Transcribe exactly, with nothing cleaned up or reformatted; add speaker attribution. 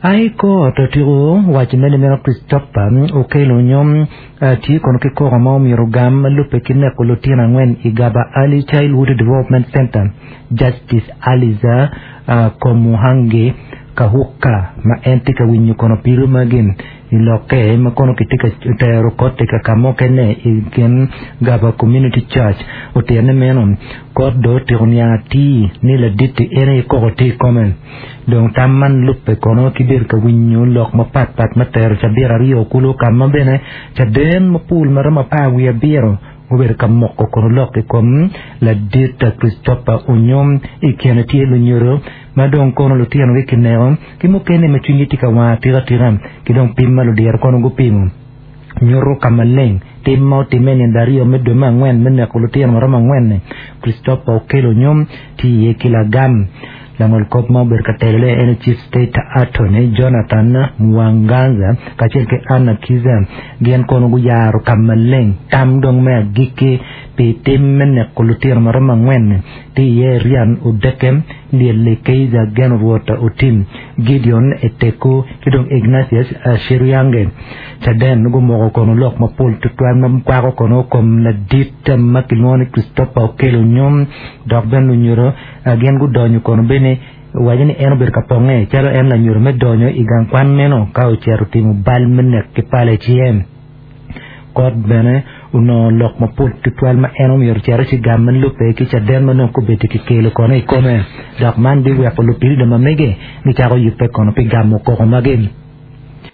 Speaker 1: High Court otiko waco ni meno Christopher Okello Onyum tye kono ki koko ma omyero gam ma lubbe ki neko lutino angwen i Gaba Early Childhood Development Center. Justice Aliza Komuhangi Kahuka ma en tye ka winyo kono pido magi i lokke ma kono kitye ka tero kot ka ka mukene i kin Gaba Community Church otyene meno kot do otyeko niang atir ni ladit-ti en aye koko tye i kome. Dong tam man lubbe kono ki bedo ka winyo lok mapatpat ma tero cabit aryo kulu ka ma bene caden mapol ma romo apar wiye abiro obedo ka moko kono lok i kom ladit Christopher Onyum. I kine tye lunyodo ma dong kono lutinogi kineko ki mukene ma cwinygi tye ka wang atika tika ki dong pim ma ludiro kono gupimo nyuto ka maleng tim ma otimme nino aryo me dwe me angwen me neko lutino ma romo angwen-ni. Christopher Okello Onyum tye iye ki lagam. Langol kop ma obedo ka telone en Chief State Attorney Jonathan Mwanganza kacel ki Anna Kiza gin kono guyaro ka maleng tam dong me agikki pi tim me neko lutino ma romo angwen-ni. Tye iye Rian Odeke, Lyelle Keiza Geno Rwot Otim, Gideon Eteku ki dong Ignatius Shiriange. Caden gumoko kono lok mapol tutwal ma kwako kono kom ladit ma kilwongo ni Christopher Okello Onyum dok bene lunyodo gin gudonyo kono bene waco ni en obedo ka ponge calo en lanyodo me donyo i gang kwan meno ka ocito timo bal me nek ki pala i cinge. Kot bene onongo lok mapol tutwal ma en omyero ocito ci gam ma lubbe ki caden ma nongo kobedo kikelo kono i kome dok man biweko lupilida ma mege gicako yubbe kono pi gamo koko magi.